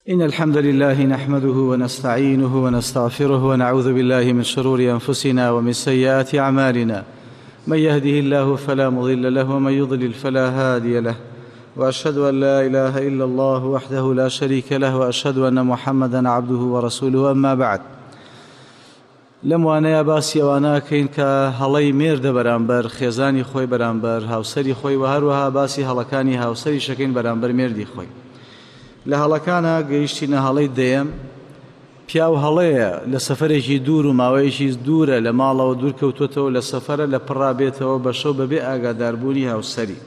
إن الحمد لله نحمده ونستعينه ونستغفره ونعوذ بالله من شرور أنفسنا ومن سيئات أعمالنا. من يهده الله فلا مضل له ومن يضلل فلا هادي له. وأشهد أن لا إله إلا الله وحده لا شريك له وأشهد أن محمدا عبده ورسوله. أما بعد، لەم وانەیە باسی ئەوانەکەین کە هەڵەی مێردە بەرامبەر خێزانی خۆی، بەرامبەر هاوسەری خۆی، و هەروەها باسی هەڵەکانی هاوسەری شەکەین بەرامبەر مێردی خۆی. لە هەڵەکانە گەیشتینە هەڵەی دەیەم. پیاو هەڵەیە لە سەفەرێکی دوور و ماوەیەکی دوورە لە ماڵەوە دوور کەوتوتەوە، لە سەفەرە لە پڕا بێتەوە بە شەو بەبێ ئاگاداربوونی هاوسەری.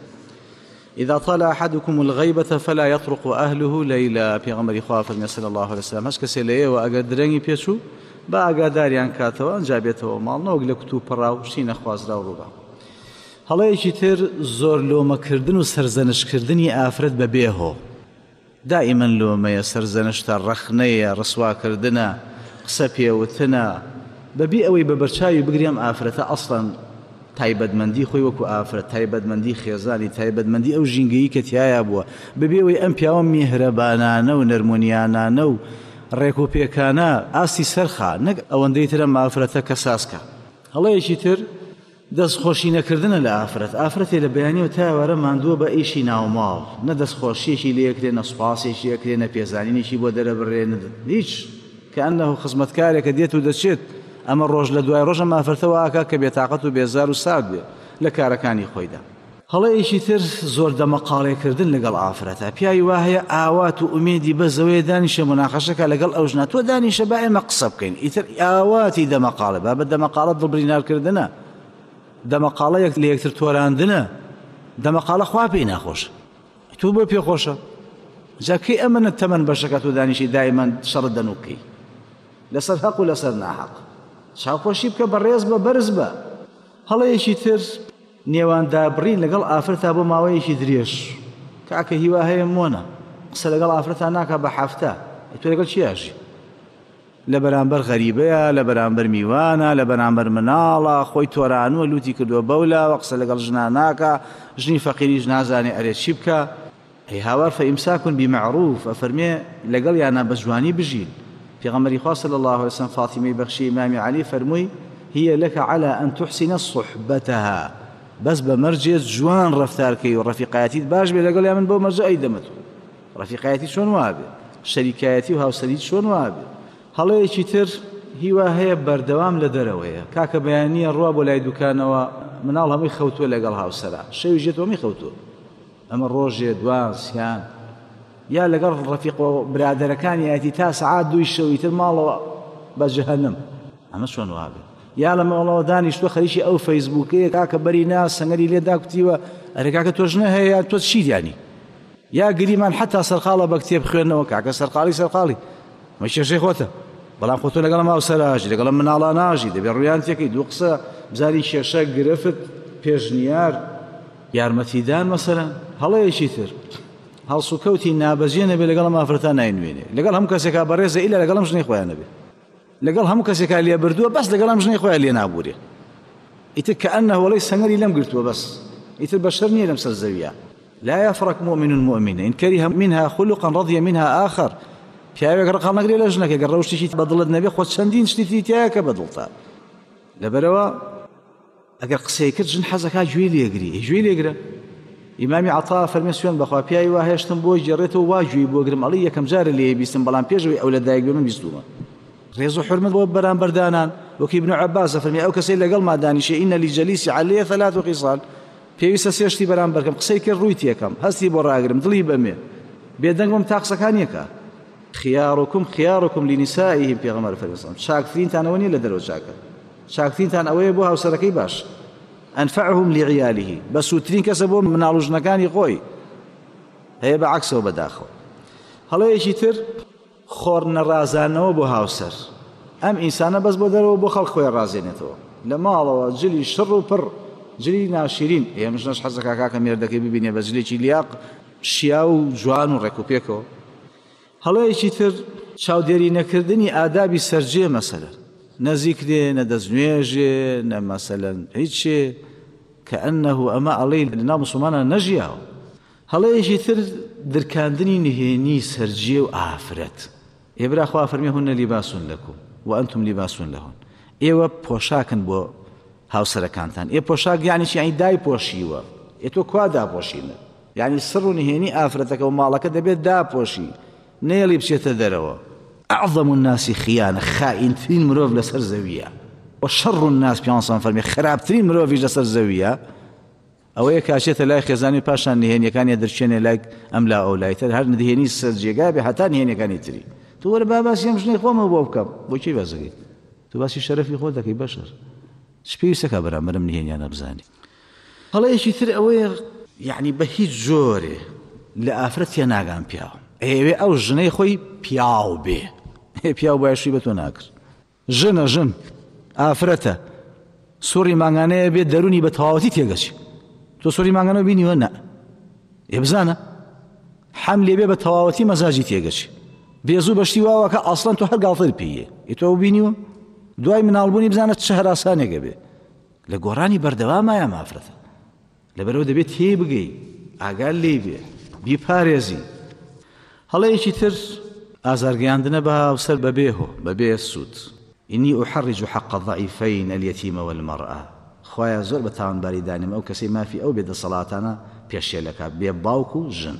إذا طال أحدكم الغيبة فلا يطرق أهله ليلا. پێغەمبەری خوا فەرمی صلی الله عليه وسلم هەچ کەسێ لە ئێوە ئەگەر درەنگی پێچوو با ئاگاداریان کاتەوە ئەنجا بێتەوە ماڵ، نەوەک لە کوت و پڕا و شتی نەخوازرا و ڕووبا. هەڵەیەکی تر زۆر لۆمەکردن و سەرزەنشکردنی ئافرەت بە بێهۆ. دائما لۆمەیە، سەرزەنشتە، ڕەخنەیە، ڕسواکردنە، قسە پێوتنە، بەبێ ئەوەی بە بەرچاوی بگری ئەم ئافرەتە ئەسڵەن تایبەتمەندی خۆی وەکو ئافرەت، تایبەتمەندی خێزانی، تایبەتمەندی ئەو ژینگەیی کە تیایا بووە، بەبێ ئەوەی ئەم پیاوە میهرەبانانە و نەرمونیانانە و ڕێک و پێکانە ئاستی سەرخا، نەک ئەوەندەی تر ئەم ئافرەتە کە سازکە. هەڵەیەکی تر دەستخۆشی نەکردنە لە ئافرەت. ئافرەتێ لە بەیانیەوە تا ئێوارە ماندووە بە ئیشی ناوماڵ، نە دەستخۆشیەکی لێکرێ، نە سوپاسێکی ئەکرێ، نە پێزانینێکی بۆ دەرەبڕێ، هیچ. کە ئەنەه خزمەتکارێکە دێت و دەچێت. ئەمە ڕۆژ لە دوای ڕۆژ ئەم ئافرەتەوە ئاکا کە بێتاقەت و بێزار و سارد بێ لە کارەکانی خۆیدا. هەڵەیەکی تر زۆر دەمەقاڵێکردن لەگەڵ ئافرەتە. پیاوی وا هەیە ئاوات و ئومێدی بەزەوەیە دانیشە مناقەشەکە لەگەڵ ئەو ژنە، تۆ دانیشە با ئێمە قسە بکەین. ئیتر ئاواتی دەمەقاڵێ، با بە دەمەقاڵە دڵبرینارکردنە، دەمەقاڵە یەک لە یەکتر تۆراندنە، دەمەقاڵە خوا پێی ناخۆشە، تۆ بۆ پێخۆشە. جا کەی ئەمە تەمەن بەشەکە تۆ دانیشی دایمەن شەڕت دەنووکەی لەسەر حەق و لەسەر ناحەق. چاوخۆشی بکە، بەڕێز بە، بەرز بە. هەڵەیەکی تر نێوان دابڕین لەگەڵ ئافرەتا بۆ ماوەیەکی درێژ. کاکە هیوا هەیە مۆنە قسە لەگەڵ ئافرەتا ناکا بە هەفتە، تۆ لەگەڵ چی ئاژی؟ لە بەرامبەر غەریبەیە، لە بەرامبەر میوانە، لە بەرامبەر مناڵە، خۆی تۆرانووە، لوتی کردووە بەولاوە، قسە لەگەڵ ژنا ناکا، ژنی فەقیریش نازانێ ئەرێ چی بکە. ئەی هاوار فإمساك بمعروف، ئەفەرمێ لەگەڵ یانە بە جوانی بژین. پێغەمبەری خوا صلی الله عليه وسلم فاطمەی بەخشی ئیمامی عەلی فەرمووی هي لك على أن تحسن صحبتها، بەس بە مەرجێ جوان ڕەفتارکەی و ڕەفیقایەتیت باش بێ لەگەڵ یا من بۆ مەرجە ئەی دەمەتۆ. ڕەفیقایەتی چۆن وابێ، شەریکایەتی و هاوسەری چۆن وابێ. هەڵەیەکی تر هیوا هەیە بەردەوام لە دەرەوەیە. کاکە بەیانیە ڕوا بۆ لای دوکانەوە، مناڵ هەمووی خەوتووە لەگەڵ هاوسەرا، شەوی ژێت هەمووی خەوتووە. ئەمە ڕۆژێ دوان سیان یا لەگەڵ ڕەفیق و برادەرەکانی یاتی تا سەعات دووی شەوی تر ماڵەوە بە جەهەنم. ئەمە چۆن وابێ؟ یا لە ماڵەوە دانیشتووە خەریکی ئەو فەیسبووکەیە، کاکە بەری نا سەنگەری لێ داکوتیوە، ئەرێ کاکە تۆ ژنە هەیە یا تۆ چی دیانی؟ یا گریمان حتا سەرقاڵە بە کتێب خوێندنەوە، کاکە سەرقاڵی سەرقاڵی مە کێشەی خۆتە، بەڵام خۆ تۆ لەگەڵ ماوسەراژی، لەگەڵ مناڵا ناژی، دەبێ ڕویان تێکەی دوو قسە بزانی کێشە گرفت پێشنیار یارمەتیدان. مەسەلەن هەڵەیەکی تر هەڵسوکەوتی نابەجێ نەبێ لەگەڵ ئافرەتان ناینوێنێ، لەگەڵ هەموو کەسێکا بەڕێزە ئیلا لەگەڵ ئەم ژنەی خۆیان نەبێ، لەگەڵ هەموو کەسێکا لێ بردووە بەس لەگەڵ ئەم ژنەی خۆیان لێ نابوورێ. ئیتر کە ئەنەهو وەڵی سەنگەری لەم گرتووە بەس ئیتر بەشەر نییە لەم سەر زەویە. لا يفرق مؤمن مؤمنة إن كره منها خلقا رضي منها آخر. پیاوێک ڕقاڵ نەگرێ لە ژنەکە گەر ڕەوشتێکی بەدڵت نەبێ، خۆ چەندین شتی تری تیایە کە بەدڵتە. لەبەرەوە ئەگەر قسەی کرد ژن حەزەکا گوێی لێگری، گوێی لێگرە. ئیمامی عەتا فەرمی سوێن بەخوا پیاوی وا هێشتم بۆی گێڕێتەوە وا گوێی بۆ گرم، ئەڵێ یەکەم جارە لێ بیستم، بەڵام پێشەوەی ئەو لە دایک بێ من بیستوومە. ڕێز و حرمەت بۆ بەرامبەردانان. وەکی ابن عباس فەرمی ئەو کەسەی لەگەڵما دانیشێ ئینە لجەلیسی عەلەیە ثەلاث خصال، پێویستە سێ شتی بەرامبەرکەم، قسەی کرد ڕووی تێکەم، هەستی بۆ ڕاگرم، دڵی بەمێ، بێدەنگ بم تا قسەکان یەکە. خیارکم خیارکم لنسائهم، پێغەمبەر فەرمی چاکترینتان ئەوە نییە لە دەرەوە چاکە، چاکترینتان ئەوەیە بۆ هاوسەرەکەی باش. ئەنفعهم لعیاله، بەسوودترین کەسە بۆ مناڵ و ژنەکانی خۆی. هەیە بە عەکسەوە بەداخەوە. هەڵەیەکی تر خۆر نەڕازانەوە بۆ هاوسەر. ئەم ئینسانە بەس بۆ دەرەوە بۆ خەڵک خۆی ڕازێنێتەوە، لە ماڵەوە جلی شڕ و پڕ، جلی ناشیرین. ئێمە ژنەش حەزەکا کاکە مێردەکەی ببینێ بە جلێکی لیاق شیا و جوان و ڕێک و پێکەوە. هەڵەیەکی تر چاودێری نەکردنی ئادابی سەرجێ، مەسەلە نە زیکرێ، نە دەستنوێژێ، نە مەسەلەن هیچێ، کە ئەنەهو ئەمە ئەڵێی لەناو مسلمانان نەژیاوە. هەڵەیەکی تر درکاندنی نهێنی سەرجێ و ئافرەت. ئێ برا خوا فەرمی هن لباس لکم وانتم لباس لهن، ئێوە پۆشاکن بۆ هاوسەرەکانتان. ئێ پۆشاک یعنی چی؟ یعنی دایپۆشیوە. ئێ تۆ کوا داپۆشینە؟ یعنی سڕ و نهێنی ئافرەتەکە و ماڵەکە دەبێت داپۆشی، نەیەڵی بچێتە دەرەوە. اعظم الناس خیانە، خائینترین مرۆڤ لەسەر زەویە. وشر الناس، پیامبەر فەرمی خراپترین مرۆڤیش لەسەر زەویە ئەوەیە کە ئەچێتە لای خێزانی پاشان نهێنیەکانی دەرچێنێ لای ئەم لا ئەو لای تر، هەر نهێنی سەر جێگا بێ هەتا نهێنیەکانی تری. تۆ وەرە با باسی ئەم ژنەی خۆمەوە بۆ بکەم. بۆ کێ باس دەکەی؟ تۆ باسی شەرەفی خۆت دەکەی بەشەر. چ پێویستەکە بەرامبەرم نهێنیانە بزانی؟ هەڵەیەکی تر ئەوەیە یعنی بە هیچ جۆرێ لە ئافرەت تێناگان پیاو ئەیەوێ ئەو ژنەی خۆی پیاو بێ. پیاو باە شووی بە تۆ ناکرد. ژنە ژن ئافرەتە سوڕی مانگانەیە بێت دەرونی بە تەواوەتی تێگەچی. تۆ سوڕی مانگانە بینیوە؟ نا. ئێ بزانە حەم لێ بێ بە تەواوەتی مەزاجی تێگەچی. بێزوو بەشتی واوەکە ئەسڵەن تۆ هەر گاڵتر پێیە. ئێ تۆ بینیوە؟ دوای مناڵبوونی بزانە چ هەراسانێکە بێ. لە گۆڕانی بەردەوامایە ئافرەتە. لەبەرەوە دەبێت تێی بگەی، ئاگال لێی بێ، بیپارێزی. هەڵەیەکی تر ئازارگەیاندنە بە هاوسەر بەبێ هۆ، بەبێ سوود. إني أحرج حق الضعيفين اليتيم والمرأة، خوایە زۆر بە تاوانباری دانێم ئەو کەسەی مافی ئەو بێ دەسەڵاتانە پێشێلەکات، بێ باوک و ژن.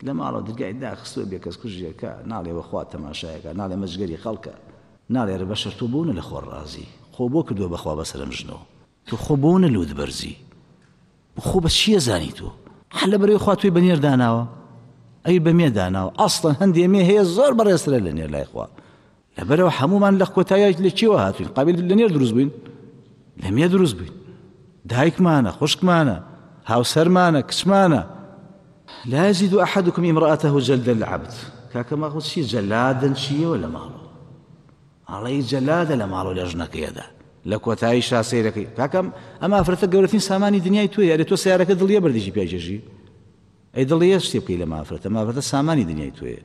لە ماڵەوە درگای داخستووە، بێ کەس کوژێکە، ناڵێ وەخوا تەماشایەکە، ناڵێ مەجگەری خەڵکە، ناڵێ رە بەشەر تۆ بۆ نە لە خۆر ڕازی، خۆ بۆ کردووە بەخوا بەسەرم ژنەوە. تۆ خۆ بۆ نە لوت بەرزی، خۆ بە چییە زانی تۆ؟ هەر لە بەرەوەی خوا تۆی بە نێر داناوە، ئەی بە مێ داناوە. ئەسڵەن هەندێ مێ هەیە زۆر بەڕێزترە لە نێر لای خوا. لەبەرەوە هەمومان لە کۆتاییە لە کێوە هاتوین؟ قابل لە نێر دروست بووین، لە مێ دروست بووین. دایکمانە، خوشکمانە، هاوسەرمانە، کچمانە. لا يزيد أحدكم امرأته جلد العبد. کاکە ماخۆ چی جەلادن چیەوە لە ماڵەوە؟ ئەڵێی جەلادە لە ماڵەوە لە ژنەکەیەدا. لە کۆتایی شا سەیرەکەی کاکەم ئەم ئافرەتە گەورەترین سامانی دنیای تۆیە. ئەرێ تۆ سیارەکە دڵیە بەردێکی پیاکێشی؟ ئەی دڵیە شتێ بکەی لە مافرەتە؟ مافرەتە سامانی دنیای تۆیە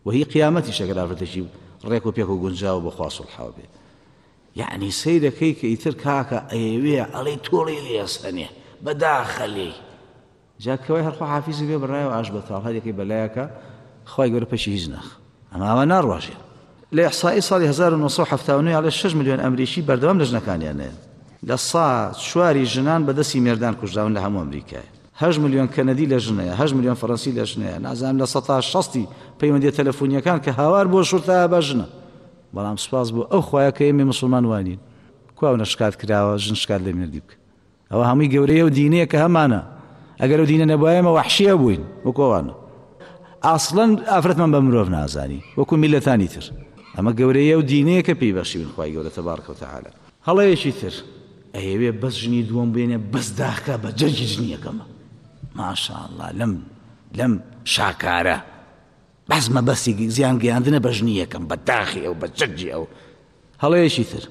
و هی قیامەتیش ئەگەر ئافرەتێکی ڕێک و پێک و گونجاو بۆ خوا سوڵحاو بێ. یعنی سەیرەکەی کە ئیتر کاکە ئەیەوێ ئەڵێی تۆڵی لێسەنێ بەداخە لێی. جا کەوای هەر خوا حافیزی بێ بڕایەوە ئاش بەتاڵ هەر یەکەی بەلایەکە خوای گەورە پەکی هیچ ناخ ئەمە ئاوا ناڕواژێ. لە ئیحسائی ساڵی 1979 ئەڵێ 6 ملیۆن ئەمریکی بەردەوام لە ژنەکانیان نەیەن. لە سا چواری ژنان بە دەستی مێردان کوژراون لە هەموو ئەمریکایە. 8 ملیۆن کەنەدی لە ژنەیە، 8 ملیۆن فەرەنسی لە ژنەیە، نازانم لە سەتا شەستی پەیوەندیە تەلەفۆنیەکان کە هاوار بۆ شورتایە بە ژنە. بەڵام سوپاس بۆ ئەو خوایە کە ئێمەی موسڵمان وانین. کوا ئەونە شکات کراوە ژن شکات لە مێردی بکە. ئەوە هەمووی گەورەیە و دینەیە کە هەمانە. ئەگەر ئەو دینە نەبوایە ئێمە وەحشیە بووین وەکو ئەوانە. ئەسڵەن ئافرەتمان بە مرۆڤ نازانی وەکو میللەتانی تر. ئەمە گەورەیە و دینەیە کە پێی بەخشیوین خوای گەورە تەبارک و تەعالا. هەڵەیەکی تر ئەیەوێ بەس ژنی دووەم بێنێ بەس داخکا بە جەرگی ژنی یەکەمە. ماشاءاللە لەم لەم شاکارە بەس مەبەستی زیان گەیاندنە بە ژنی یەکەم، بە داخی ئەو، بە جەرگی ئەو. هەڵەیەکی تر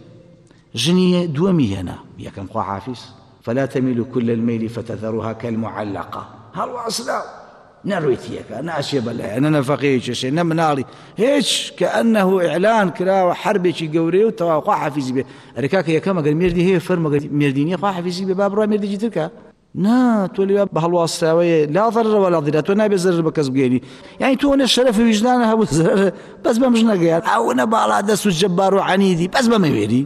ژنی دووەمی هێنا یەکەم خوا حافیز فلا تميلوا كل الميل فتذروها كالمعلقة. هەڵواسراو نەڕویتیەکە ناچێ بەلایە، نە نەفەقەیە کێشێ، نە مناڵی هیچ، کەئەنەهو ئیعلان کراوە حربێکی گەورەیە و تەواو خوا حافیزی بێ. ئەرێ کاکە یەکەم ئەگەر مێردی هەیە فەرموو، ئەگەر مێردی نییە خوا حافیزی بێ با بڕوا مێردێکی تر کە. نا تۆ لەوێ بە هەڵواسراوەیە لا ضرر ولا ضرار، تۆ نابێ زەرر بە کەس بگەێنی. یعنی تۆ نە شەرەف و ویژدانە هەبوو زەرر بەس بەم ژنەگەیان، ئەوە باڵا دەست و جەبار و عەنیدی بەس بەمەوێری.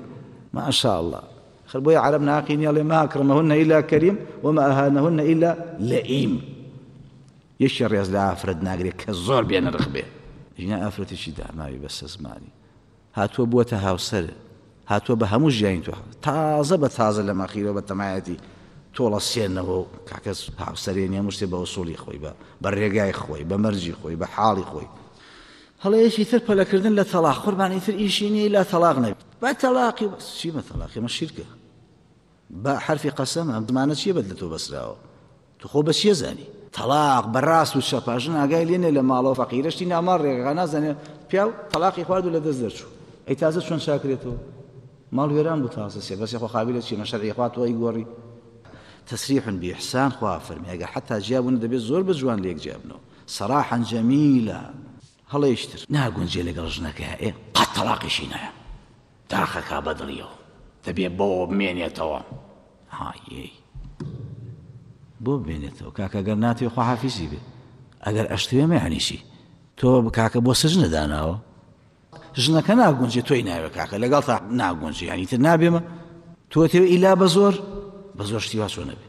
ماشاءالله. خەر بۆیە عەرەب ناقی نییە، ئەڵێ ما ئەکرمەهن ئیلا کەریم وما ئەهانەهن ئیلا لەئیم. یەکێ ڕێز لە ئافرەت ناگرێت کە زۆر بێنرخ بێ. ژنە ئافرەتێکی داماوی بەسە زمانی هاتووە بووەتە هاوسەر، هاتووە بە هەموو ژیانی تۆ تازە بە تازە لە مەخیرەوە بە تەمایەتی تۆڵە سێنەوە و کاکە هاوسەرێنی هەموو شتێ بە ئوسوڵی خۆی، بە ڕێگای خۆی، بە مەرجی خۆی، بە حاڵی خۆی. هەڵەیەکی تر پەلەکردن لە تەلاق، قوربانی تر ئیشی نییە لا تەلاق نەبێ. بە تەلاقی بەس چی بە تەلاقی مە شیرکە بە حرفی قەسەم ئەم زمانە چییە بەد لە تۆ بەسراوە؟ تۆ خۆ بە چییە زانی؟ تەلاق بە ڕاست و چەپا ژن ئاگای لێ نییە لە ماڵەوە فەقیرەشتی ناماڵ ڕێگەکە نازانێ پیاو تەلاقی خوارد و لە دەست دەرچوو. ئەی تازە چۆن چاکرێتەوە؟ ماڵ وێران بوو تازە سێ بەسێ خۆ قابیلە چیە؟ مە شەرعی خوا تۆ ئەیگۆڕی؟ تسریح بإحسان خوا فەرمی ئەگەر حتا جیا بوون دەبێت زۆر بە جوان لێک جیا بنەوە. سەراحا جەمیلا. هەڵەیەکی تر ناگونجێ لەگەڵ ژنەکەیا ئێ قەت تەڵاقیشی نایە داخەکا بەدڵیەوە دەبێ بۆ بمێنێتەوە. هایەی بۆ بمێنێتەوە کاکە گەر ناتەوێ خواحافیزی بێ ئەگەر ئەشتوێ مەیانی چی تۆ کاکە بۆ سجنە داناوە ژنەکە ناگونجێ تۆی ناوێ کاکە لەگەڵ تا ناگونجێ یانی تر نابێمە تۆ تێ ئیلا بە زۆر بە زۆر شتی وا چۆن نەبێ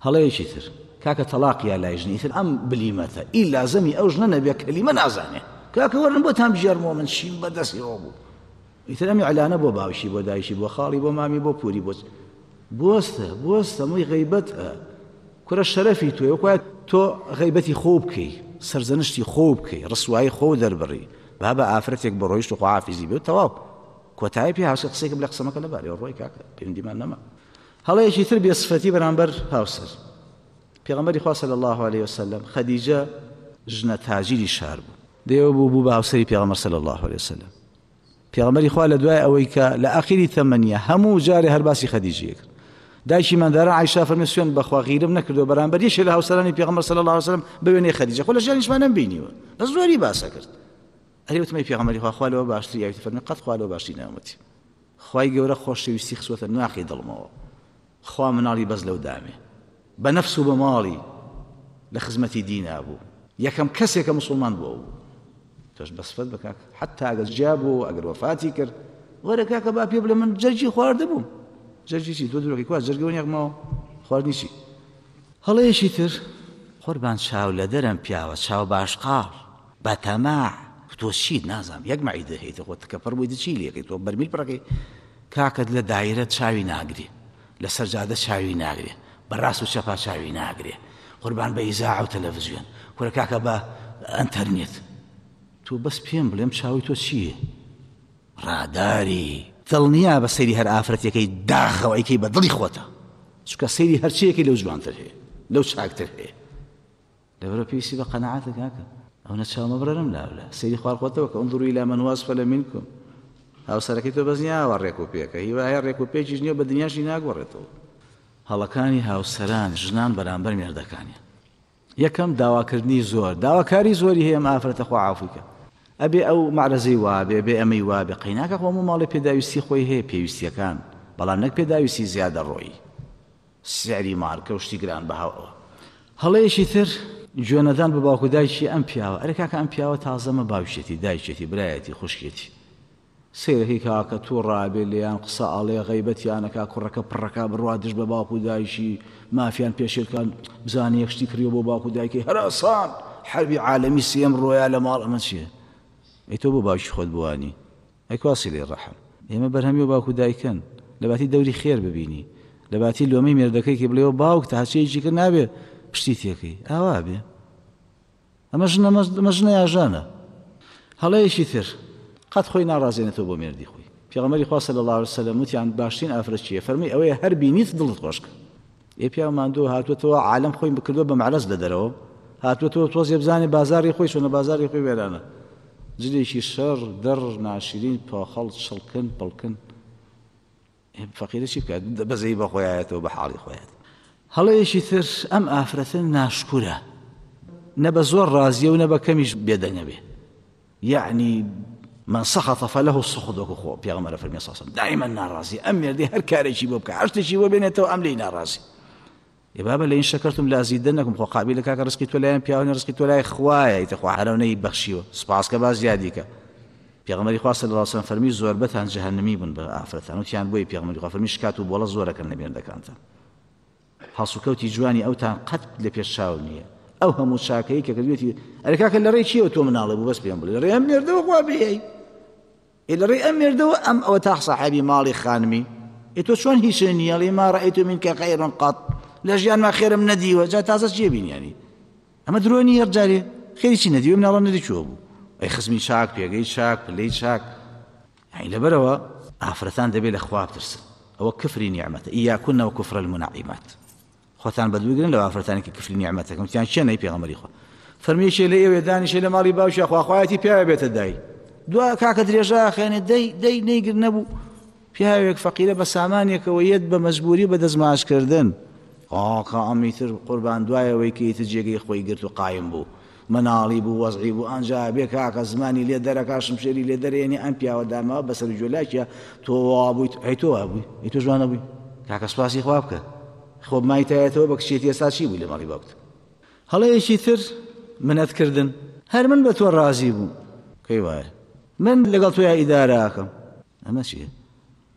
هەڵەیەکی تر کاکە تەلاق یا لای ژنی تر ئەم بلیمەتە ئیلا زەمی ئەو ژنە نەبێ کەلیمە نازانێ کاکە وەرن بۆتان بژێرمەوە من چیم بەدەستیەوە بوو ئیتر ئەم ئیعلانە بۆ باوکی بۆ دایکی بۆ خاڵی بۆ مامی بۆ پوری بۆ بۆستە بۆستە موی غەیبەتە کورە شەرەفی تۆ وەکوایە تۆ غەیبەتی خۆ بکەی سەرزەنشتی خۆ بکەی ڕسوایی خۆ دەربڕی بابە ئافرەتێک بۆ ڕۆیشت و خواحافیزی بێ تەواو کۆتایی پێ هاوسەر قسەیەکم لە قسەمەکە لەبارەوە ڕۆی کاکە پەیوەندیمان نەما هەڵەیەکی تر بێ سفەتی بەرامبەر هاوسەر پێغەمبەری خوا صلی الله علیه وسلم خەدیجە ژنە تاجیری شار بوو دێوە بوو بوو بە هاوسەری پێغەمبەر صلی الله علیه وسلم پێغەمبەری خوا لە دوای ئەوەی کە لە ئاخیری تەمەنیە هەموو جارێ هەر باسی خەدیجەیە کرد دایکی مندارە عایشە فەرمی سوێن بەخوا غیرم نەکردو بەرامبەر یەکێ لە هاوسەرانی پێغەمبەر صلی الله علیه وسلم بوێنێ خەدیجە خۆ لە ژیانیشمان نەمبینیوە بەس زۆری باسە کرد ئەرێ وتمەی پێغەمبەری خوا خوا لەوە باشتری یاویتی فەرمی قەت خوا لەوە باشتری ناومەتی خوای گەورە خۆشەویستی خسوەتە ناخی دڵمەوە خوا مناڵی بەس لەو دامێ بە نەفس و بە ماڵی لە خزمەتی دینا بوو یەکەم کەسێکە موسڵمان بوو ئەو بوو تۆش بە سفەت بە کاک حتا ئەگەر جیا بوو ئەگەر وەفاتی کرد وەرە کاکە با پێ بڵێ من جەرگی خواردە بووم جەرگی چی تۆ درۆکی کوا جەرگەوە نیەک ماوە خواردنی چی هەڵەیەکی تر قوربان چاو لە دەرم پیاوە چاو باشقاڵ بەتەماع تۆ چیت نازانم یەک مەعیدە هەیتە خۆ تکەپەڕ بوویت چی لێکەی تۆ بەرمیل پڕەکەی کاکەت لە دایرە چاوی ناگرێ لە سەر جادە چاوی ناگرێ بە ڕاست و چەپا چاوی ناگرێ قوربان بە ئیزاعە و تەلەڤزیۆن کورە کاکە بە ئەنتەرنێت تۆ بەس پێم بڵێم چاوی تۆ چییە ڕاداری دڵنیا بە سەیری هەر ئافرەتێکەی داخەوە ئەیکەی بە دڵی خۆتە چونکە سەیری هەرچیەکی لەو جوانتر هەیە لەو چاکتر هەیە لەبەرئەوە پێویستی بە قەناعەتە کاکە ئەونە چاو مەبڕە لەم لاولا سەیری خوار خۆتەوە کە انظروا الى من هو اسفل منكم هاوسەرەکەی تۆ بەس نییە ئاوا ڕێک و پێکە هیوا هەیە ڕێک و پێکیش نییە بە دنیاشی ناگۆڕێتەوە هەڵەکانی هاوسەران ژنان بەرامبەر مێردەکانیان یەکەم داواکردنی زۆر داواکاری زۆری هەیە ئەم ئافرەتە خوا عافوی کە ئەبێ ئەو مەعرەزەی وابێ بێ ئەمەی وابێ قەیناکە خۆ هەموو ماڵێ پێداویستی خۆی هەیە پێویستیەکان بەڵام نەک پێداویستی زیادە ڕۆیی سعری مارکە و شتی گران بەها و ئەوە. هەڵەیەکی تر گوێنەدان بە باوک و دایکی ئەم پیاوە، ئەرێ کاکە ئەم پیاوە تازەمە باوکیەتی، دایکیەتی، برایەتی، خوشکیەتی. سەیرەکەی کاکە توڕە ئەبێ لێیان قسە ئەڵێ غەیبەتیان ئەکا کوڕەکە پڕەکا بڕوا دژ بە باوک و دایکی مافیان پێشێل کان بزانێ یەک شتی کڕیوە بۆ باوک و دایکی هەراسان حەربی عالەمی سێم ڕۆیا لە ماڵ ئەمە چیە؟ ئەی تۆ بۆ باوکی خۆت بوانی؟ ئەی کوا سیلەی ڕەحم؟ ئێمە بەرهەمی و باوک و دایکن لەباتی دەوری خێر ببینی لەباتی لۆمەی مێردەکەی کی بڵێەوە باوک تا هەرچیەکی کرد نابێ پشتی تێکەی ئاوا بێ ئەمە ژنە ئەمە ژنە یاژانە هەڵەیەکی تر قەت خۆی ناڕازێنێتەوە بۆ مێردی خۆی پێغەمبەری خوا صلی الله علیه وسلم وتیان باشترین ئافرەت چییە فەرمی ئەوەیە هەر بینیت دڵت خۆشکە ئێ پیاو ماندوو هاتووەتەوە عالەم خۆی بکردووە بە مەعرەز لە دەرەوە هاتووەتەوە تۆزێ بزانێ بازاڕی خۆی چۆنە بازاڕی خۆی وێرانە جلێکی شەڕ دڕ ناشرین پۆخەڵ چڵکن پڵکن فەقیرە چی بکات بەزەی بە خۆیایەتەوە بە حاڵی خۆیەت هەڵەیەکی تر ئەم ئافرەتە ناشکورە نە بە زۆر ڕازیە و نە بە کەمیش بێدەنگە بێ یەعنی من سخط فله السخط وەکو خۆ پێغەمبەر فەرمی صلی الله دائما ناڕازی ئەم مێردی هەر کارێکی بۆ بکە هەر شتێکی بۆ بێنێتەوە ئەم لێی ناڕازی ئێ بابە لئن شکرتم لازیدنکم خۆ قابیلە کاکە ڕزقی تۆ لایەن پیاوە ڕزقی تۆ لای خوایە ئیتر خوا هەرەو نەی بەخشیوە سوپاس کە با زیادی کە پێغەمبەری خوا صلی الله علیه وسلم فەرمی زۆربەتان جەهەنمی بوون بە ئافرەتان وتیان بۆی پێغەمبەری خوا فەرمی شکات و بۆڵە زۆرەکەن لە مێردەکانتان هەڵسوکەوتی جوانی ئەوتان قەت لە پێش چاو نییە ئەو هەموو چاکەی کە کردوێتی ئەرێ کاکە لە ڕێی چیەوە تۆ مناڵێ بوو بەس پێم بڵێ لە ڕێی ئەم مێردەوە خوا بێی ئێ لە ڕێی ئەم مێردەوە ئەم ئەوە تا ساحێبی ماڵی خانمی ئێ تۆ چۆن هیچ نییە ئەڵێ ما رأیت منک خیرا قط لە ژیانما خێرم نەدیوە جا تازە چیە بینیانی ئەمە درۆ نییە جارێ خێری چی نەدیوە مناڵە نەدی چوە بوو ئەی خزمی چاک پێگەی چاک پلەی چاک یانی لەبەرئەوە ئافرەتان دەبێت لە خوا بترسن ئەوە کفری نیعمەتە ایاکن وکفر المنعمات خۆتان بەدوو گرن لەو ئافرەتانی کە کفری نیعمەتەکەن وتیان کێن ئەی پێغەمبەری خوا فەرمی یەکێ لە ئێوە دانیشێ لە ماڵی باوکیا خواخوایەتی پیاوێ بێتە دای دوا کاکە درێژە خوێنێ دەی دەی نەیگر نەبوو پیاوێک فەقیرە بە سامانێکەوە یەت بە مەجبوری بە دەستماژکردن ئاکا ئەمیتر قوربان دوایەوەی کە ئیتر جێگەی خۆی گرت و قایم بوو مناڵی بوو وەزعی بوو ئەنجا بێ کاکە زمانی لێ دەرەکا شمشێری لێ دەرێنێ ئەم پیاوە داماوە بەسەر گوێلاکیە تۆ وا بوویت ئەی تۆ وا بووی ئەی تۆش وا نەبووی کاکە سوپاسی خوا بکە. خۆ مایتایەتەوە بە کچێتی ئێستا چی بووی لە ماڵی باوکت؟ هەڵەیەکی تر منەتکردن، هەر من بە تۆ ڕازی بووم، کەی وایە من لەگەڵ تۆیا ئیدارە ئەکەم، ئەمە چییە؟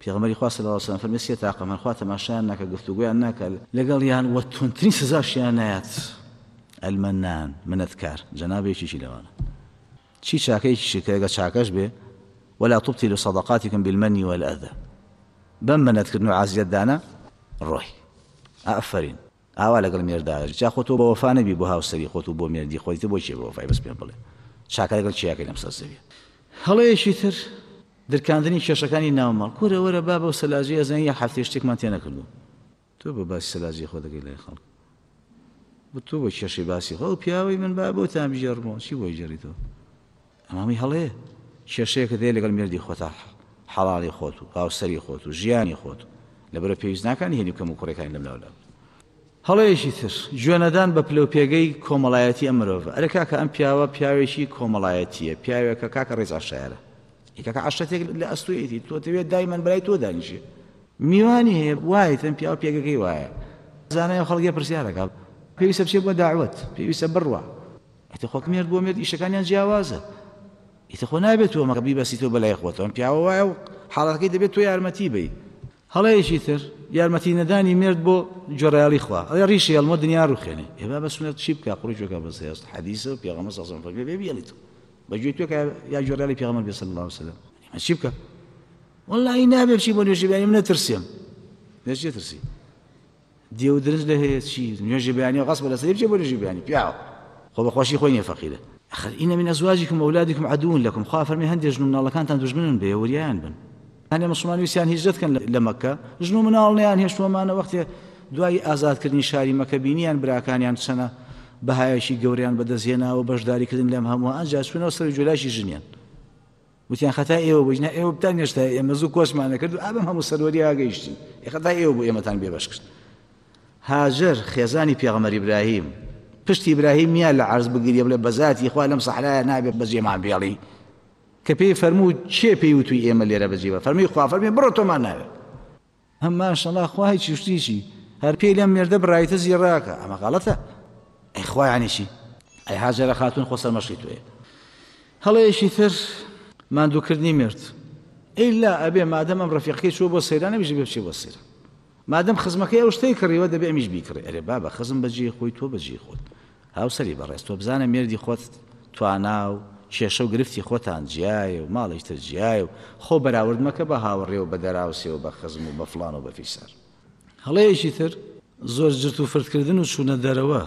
پێغەمبەری خوا صلی اللە علیە وسلم فەرمی سێ تاقم هەن خوا تەماشایان ناکا گفتوگۆیان ناکا لەگەڵیان وە توندترین سزاشیان نایات، المنان، منەتکار، جەناب یەکێکی لەوانە چی چاکەیەکیشی کە ئەگەر چاکەش بێ، ولا تبطلوا صدقاتکم بالمن والأذى، بەم منەتکردن و عازیەتدانە ڕۆی. ئافەرین ئاوا لەگەڵ مێردا ئەژی جا خۆ تۆ بەوەفا نەبی بۆ هاوسەری خۆت و بۆ مێردی خۆتی تۆ بۆ کێ بەوەفای بەس پێم بڵێ چاکە لەگەڵ کێ ئەکەی لەم سەر زەویە. هەڵەیەکی تر درکاندنی کێشەکانی ناو ماڵ کورە وەرە با بەو سەلاجەی ئەزانی یەک هەفتەیە شتێکمان تێ نەکردووە تۆ بۆ باسی سەلاجەی خۆ دەکەی لای خەڵک بۆ تۆ بۆ کێشەی باسی خۆ ئەو پیاوەی من با بۆتان بگێڕمەوە چی بۆ گێڕیتەوە ئەمامی هەڵەیە کێشەیەکت هەیە لەگەڵ مێردی خۆتا حەڵاڵی خۆت و هاوسەری خۆت و ژیانی خۆت و لەبەرە پێویست ناکانی هێنی کەم و کوڕەکانی لەم لاولا. هەڵەیەکی تر گوێنەدان بە پلە و پێگەی کۆمەڵایەتی ئەم مرۆڤە. ئەرێ کاکە ئەم پیاوە پیاوێکی کۆمەڵایەتییە، پیاوێکە کاکە ڕێز عەشایەرە. ئی کاکە عەشرەتێک لە ئەستۆیەتی، تۆ دەوێت دایمەن بەلای تۆ دانیشێ. میوانی هەیە وایە ئەم پیاوە پێگەکەی وایە. زانای خەڵک پرسیارەکە پێویستە بچێ بۆ داوەت، پێویستە بڕوا. ئیتر خۆ مێرد بۆ مێرد ئیشەکانیان جیاوازە ئیتر خۆ نابێت تۆ مەکە بیبەسیتەوە بەلای خۆتەوە ئەم پیاوە وایە و حاڵەتەکەی دەبێت تۆ یارمەتی بی. هەڵەیەکی تر یارمەتی نەدانی مێرد بۆ گوێڕایەڵی خوا، ئەڵێ ڕیشی هەڵمە دنیا ڕوخێنێ، ئێ بابە سوننەت چی بکا قوڕی گوێکا بەس هێست حەدیسە و پێغەمبەر صلی اللە علیه و سلم فەرمی بێ بیڵی تۆ بە گوێی تۆ کە یا گوێڕایەڵی پێغەمبەر بێ صلی اللە علیه و سلم ئەمە چی بکا واللهی نابێ بچی بۆ نوێژی بەیانی من نەترسێم لە چی ترسی دێ و درنج لە هەیە چی نوێژی بەیانی غەسبە لەسەری بچێ بۆ نوێژی بەیانی پیاوە خۆ بە خۆشی خۆی نیە فەقیرە ئەخر ئینە من ئەزواجکم ئەولادکم عەدوون لەکم خوا فەرمی هەندێ ژن و مناڵەکانتان دوژمنن بێ وریایان بن هەندێ مسلمان ویستیان هیجرەت کەن لە مەکە ژن و مناڵ نیان هێشتووەمانە وەختێ دوای ئازادکردنی شاری مەکە بینیان براکانیان چەنە بەهایەکی گەوریان بەدەستهێناوە بەشداریکردن لەم هەموو ئەنجا چوونەوە سەر جولاشی ژنیان وتیان خەتای ئێوە بوو نا ئێوە بتان هێشتا ئێمە زوو کۆچمان نەکرد و ئابم هەموو سەروەری ئاگەیشتین ئێ خەتای ئێوە بوو ئێمەتان بێبەش کرد. هاجەر خێزانی پێغەمبەر ئیبراهیم پشتی ئیبراهیم نییە لە عەرز بگریە بڵێ بەزاتی خوا لەم سەحرایە نابێ بەجێمان بێڵی کە پێی فەرموو کێ پێی وتووی ئێمە لێرە بەجێ بە فەرمی خوا فەرمی بڕۆ تۆمان ناوێ هەم ماشەڵا خوا هیچ شتیشی هەر پێی لەم مێردە بڕایتە زیڕاکە ئەمە غەڵەتە ئەی خوا یعنی چی ئەی هاجەرە خاتون خۆ سەرمەشقی تۆیە هەڵەیەکی تر ماندووکردنی مێرد ئیلا ئەبێ مادەم ئەم ڕەفیقەکەی چووە بۆ سەیران ئەمیش دەبێ بچێ بۆ سەیران مادەم خزمەکەی ئەو شتەی کڕیوە دەبێ ئەمیش بیکڕێ ئەرێ بابە خزم بەجێی خۆی تۆ بەجێی خۆت هاوسەری بەڕێز تۆ بزانە مێردی خۆت توانا و کێشە و گرفتی خۆتان جیایە و ماڵیش تر جیایە و خۆ بەراورد مەکە بە هاوڕێ و بە دەراوسێ و بە خزم و بە فڵان و بە فیسار. هەڵەیەکی تر زۆر جرت و فرت کردن و چوونە دەرەوە،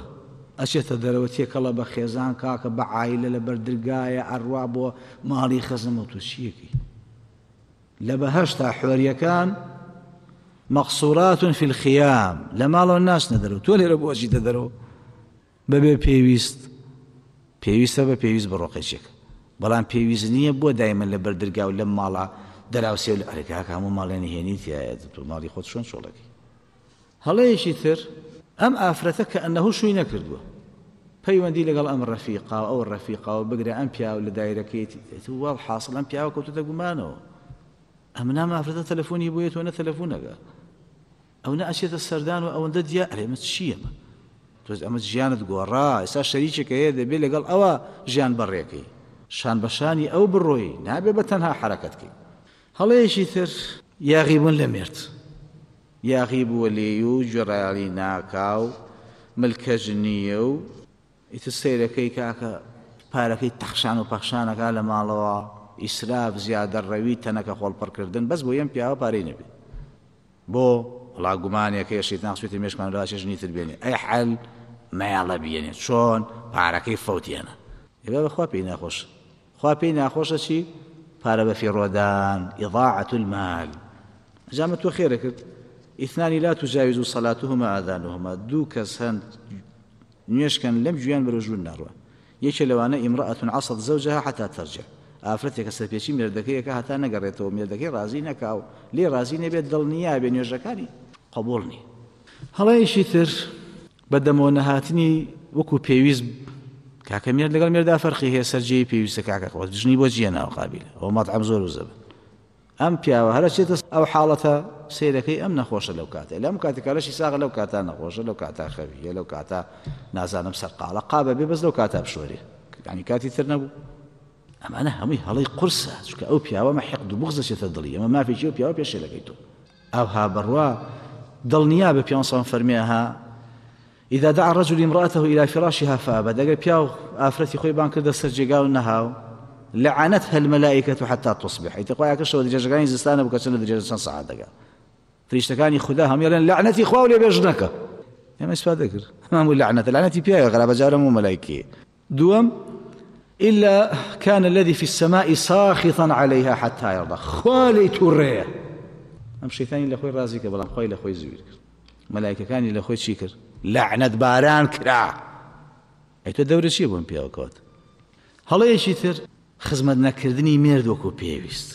ئەچێتە دەرەوە تێکەڵە بە خێزان کاکە بە عایلە لە بەر درگایە ئەڕوا بۆ ماڵی خزم و تۆ چیەکەی لە بەهەشتا حۆریەکان مقصورات فی الخیام لە ماڵەوە ناچنە دەرەوە تۆ لێرە بۆ ئەچیتە دەرەوە بەبێ پێویست پێویستە بە پێویست بڕۆ قەیچێک بەڵام پێویست نییە بۆ دایمە لە بەر درگا و لەم ماڵە دەراوسێ و لە ئەرێ کاکە هەموو ماڵێ نهێنی تیایە تۆ ماڵی خۆت چۆن چۆڵەکەی هەڵەیەکی تر ئەم ئافرەتە کە ئەنەهو شووی نەکردووە پەیوەندی لەگەڵ ئەم ڕەفیقا و ئەو ڕەفیقا و بگرە ئەم پیاو لە دایرەکەیەتی وەڵ حاصل ئەم پیاوە کەوتۆتە گومانەوە ئەم نام ئافرەتە تەلەفۆنی بۆیە تۆ نە تەلەفۆنەکە ئەو نە ئەچێتە سەردان و ئەوەندە دیا ئەرێ ئەمە چییە تۆ ئەمە ژیانت گۆڕا ئێستا شەریکێک هەیە دەبێ لەگەڵ ئەوە ژیان بەڕێکەی شان بە شانی ئەو بڕۆی نابێ بە تەنها حەرەکەت کەی هەڵەیەکی تر یاغی بوون لە مێرد یاغی بووە لێی و گوێڕایەڵی ناکا و ملکەچ نییە و ئیتر سەیرەکەی کاکە پارەکەی تەخشان و پەخشان ئەکا لە ماڵەوە، ئیسراف، زیادەڕەوی، تەنەکە خۆڵ پڕکردن، بەس بۆ یەم پیاوە پارەی نەبێ. بۆ؟ وەڵا گومانێک هەیە شەیتان خستوێتە مێشکمان لەوە ئەچێ ژنی تر بێنێ. ئەی حەل؟ مەیەڵە بیێنێ. چۆن؟ پارەکەی فەوتێنە. ئێ بابە خوا پێی ناخۆشە. خوا پێی ناخۆشە چی؟ پارە بەفیڕۆدان، اضاعة المال. ئەجا ئەمە تۆ خێرە کرد؟ اثنان لا تجاوز صلاتهما آذانهما، دوو کەس هەن نوێژ کەن لەم گوێیان بەرەو ژوور ناڕوا. یەکێ لەوانە امرأة عصت زوجها حتی ترجع، ئافرەتێکە سەرپێچی مێردەکەی ئەکا هەتا نەگەڕێتەوە مێردەکەی ڕازی نەکا و لێی ڕازی نەبێت دڵنیا بێ نوێژەکانی قبوڵ نی. هەڵەیەکی تر بە دەمەوە نەهاتنی وەکو پێویست کاکە مێرد لەگەڵ مێردا فەرقی هەیە سەر جێی پێویستە کاکە خۆ ژنی بۆ جیە ناو قابیلە ئەو مەطعەم زۆر و زەبن. ئەم پیاوە هەر ئەچێتە ئەو حاڵەتە سەیرەکەی ئەم نەخۆشە لەو کاتەی لەم کاتێکا لەشی ساغە لەو کاتا نەخۆشە لەو کاتا خەویە لەو کاتا نازانم سەرقاڵە قابە بێ بەس لەو کاتا بشۆرێ یعنی کاتی تر نەبوو. ئەمانە هەمووی هەڵەی قورسە چونکە ئەو پیاوە مە حقد و بوغز دەچێتە دڵی ئەمە مافێکی ئەو پیاوە پێشێلەکەی تۆ ئەوها بڕوا دڵنیا بە پیان سان فەرمیها إذا دعا الرجل امرأته إلى فراشها فأبت ئەگەر پیاو ئافرەتی خۆی بان کردە سەر جێگا و نەهاو لعنتها الملائكة حتى تصبح ئیتر خوایە کە شەوە درێژەکانی زستانە بوو کە چەند لە درێژە چەند سەعات دەگا فریشتەکانی خودا هەموو ئەڵێن لەعنەتی خوا و لێ بێ ژنەکە ئێمە ئیسفادە کرد هەموو لەعنەتە لەعنەتی پیاوە غەرابە جارە هەموو مەلایکەیە دووەم إلا كان الذي في السماء ساخطا عليها حتى يرضى خوا لێی توڕەیە ئەم شەیتانی لە خۆی ڕازی کرد بەڵام خوای لە خۆی زویر کرد مەلایکەکانی لە خۆی چی کرد لەعنەت باران کرا ئەی تۆ دەورە چییە بۆم پیاوەکەوت هەڵەیەکی تر خزمەت نەکردنی مێرد وەکو پێویست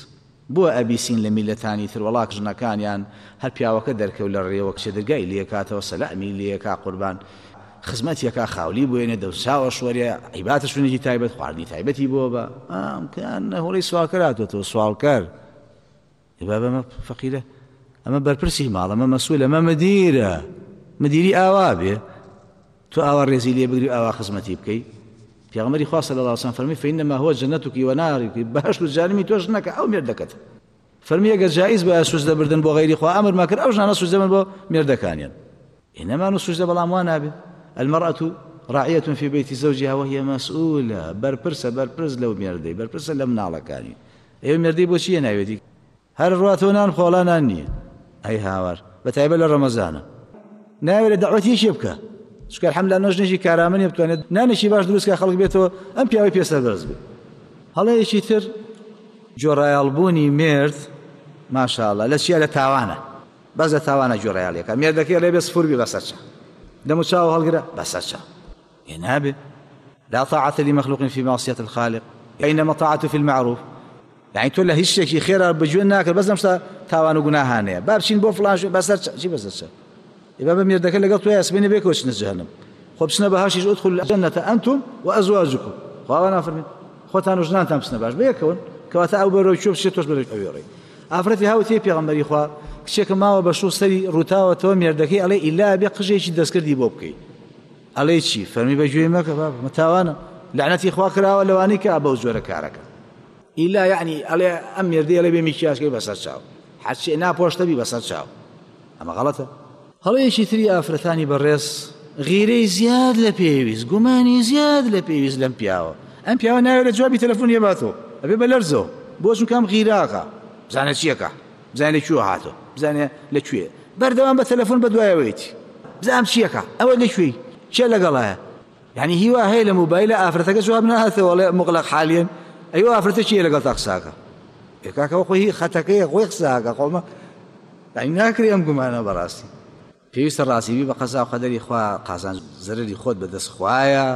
بۆ ئەبیسین لە میلەتانی تر وەڵاک ژنەکانیان هەر پیاوەکە دەرکەوت لە ڕێوە کچە درگای لێکاتەوە سەلامی لێکا قوربان خزمەتیەکا خاولی بۆێنێ دەوساوە شۆرێ عیباتە شوێنێکی تایبەت خواردنی تایبەتی بۆ بە ئام کان هۆڵی سواڵکەر هاتووەتەوە سواڵکەر بابە ئەمە فەقیرە ئەمە بەرپرسی ماڵ ئەمە مەسول ئەمە مدیرە مدیری ئاوا بێ تۆ ئاوا ڕێزی لێ بگری و ئاوا خزمەتی بکەی پێغەمبەری خوا صلی الله علیه وسلم فەرمی فإنما هو جنتك ونارك بەهەشت و جەهەنمی تۆش نەکە ئەو مێردەکەت فەرمی ئەگەر جائز بایە سوجدە بردن بۆ غەیری خوا ئەمرمان کرد ئەو ژنانە سوجدە بن بۆ مێردەکانیان ئێنەمان و سوجدە بەڵام وا نابێ المرأة راعية في بيت زوجها وهي مسؤولة بەرپرسە بەرپرس لەو مێردەی بەرپرسە لە مناڵەکانی ئێوە مێردەی بۆ چییە ناوێتی هەر ڕواتەوە نان خۆڵا نان نییە ئەی هاوار بە تایبەت لە ڕەمەزانە ناوێرە دەعوەتی یەکێ بکە چونکە الحمدلله نۆژنێکی کارامە نیە بتوانێت نانێکی باش دروست کە خەڵک بێتەوە ئەم پیاوەی پێ سەربەرز بێت هەڵەیەکی تر گۆڕایەڵبوونی مێرد ماشاءاللە لە چیە لە تاوانە بەس لە تاوانە گۆڕایەڵیەکە مێردەکەی ئەڵێ بێ سفور بی بەسەر چا دەم و چاو هەڵگرە بەسەر چا ئێ نابێ لا طاعة لمخلوق في معصية الخالق إنما الطاعة في المعروف یعنی تۆ لە هیچ شتێکی خێرا بەگوێ ناکرد بەس لەم شتە تاوان و گوناهانەیە با بچین بۆ فڵان شوێن بەسەر چی بەسەر چ ئێ بە مێردەکە لەگەڵ تۆ سبەینێ بێکەوە چنە جەهەنم خۆ بچنە بەهەشتیش ادخلوا الجنة أنتم وأزواجكم خوا وا نافەرمێت خۆتان و ژنانتان بچنە باش بەیەکەون کەواتە ئەو بەرەو کوێ بچێت تۆش بەرەو ئەوێ ڕێی ئافرەتی هاوتێ پێغەمبەری خوا کچێکە ماوە بە شوو سەری ڕووتاوەتەوە مێردەکەی ئەڵێ ئیلا بێ قژێکی دەستکردی بۆ بکەی ئەڵێی چی؟ فەرمی بە گوێی مەکە بابە مە تاوانە لەعنەتی خوا کراوە لەوانەی کە بەو جۆرە کارەکە ئیلا یعنی ئەڵێ ئەم مێردەی ئەڵێ بێ میکیاژکەی بەسەر چاو هەرچی ناپۆشتە بی بەسەر چاو ئەمە غەڵەتە. هەڵەیەکی تری ئافرەتانی بەڕێز غیرەی زیاد لە پێویست گومانی زیاد لە پێویست لەم پیاوە ئەم پیاوە ناوێرێت جوابی تەلەفۆن یەباتەوە ئەبێ بە لەرزەوە بۆ چونکە ئەم غیراکە بزانێ چیەکە بزانێ لە کوێ هاتۆ بزانێ لە کوێ بەردەوام بە تەلەفۆن بە دوایەوەیەتی بزانم چیەکە ئەوە لە کوێی کێ لەگەڵایە یعنی هیوا هەیە لە مۆبایلە ئافرەتەکە جواب ناهاتەوە ئەڵێ مغلق حالیەن ئەیوە ئافرەتە کێ لەگەڵ تا قساکە ئێ کاکە خۆی خەتەکەیە خۆی قساکە خۆمە یعنی ناکرێ ئەم گومانە بەڕاستی پێویستە ڕازی بی بە قەزا و قەدەری خوا قازانج زەرەری خۆت بەدەست خوایە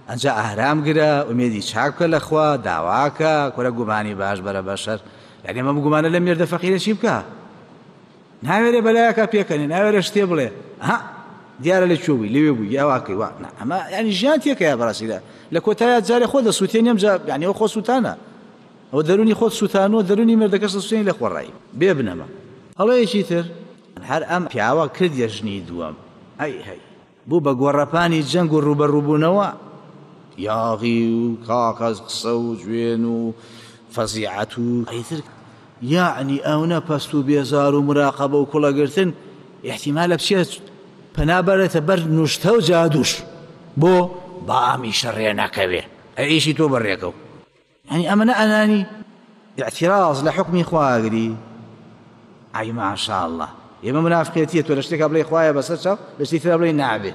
ئەنجا ئارام گرە ئومێدی چاک بکە لە خوا داواکە کورە گومانی باش بەرە بەشەر یعنی ئەمە گومانە لەم مێردە فەقیرە چی بکە ناوێرێ بەلایەکە پێکەنێ ناوێرە شتێ بڵێ ها دیارە لە کوێ بووی لەوێ بووی یا واکەی وا ئەمە ینی ژیان تێکەیە بەڕاستی لە کۆتایە جارێ خۆ دەسووتێنی ئەم جا یعنی ئەو خۆ سووتانە ئەوە دەروونی خۆت سووتانوە دەروونی مێردەکەش دەسووتێنی لە خۆڕایی بێ بنەما هەڵەیەکی تر هەر ئەم پیاوە کردیە ژنی دووەم هەی هەی بوو بە گۆڕەپانی جەنگ و ڕووبەڕووبوونەوە یاغی و کاکەز قسە و جوێن و فەزیعەت و ئیتر یەعنی ئەونە پەست و بێزار و مراقەبە و کوڵەگرتن ئیحتیمالە بچێت پەنا بەرێتە بەر نوشتە و جادوش بۆ با ئەمیشە ڕێ نەکەوێ ئەی ئیشی تۆ بەڕێکەو یانی ئەمە نە ئەنانی اعتراض لە حوکمی خوا ئەگری ئای ماشاءاللە ئێمە منافقێتیە تۆ لە شتێکا بڵێ خوایە بەسەر چاو لە شتی ترا بڵێ نابێ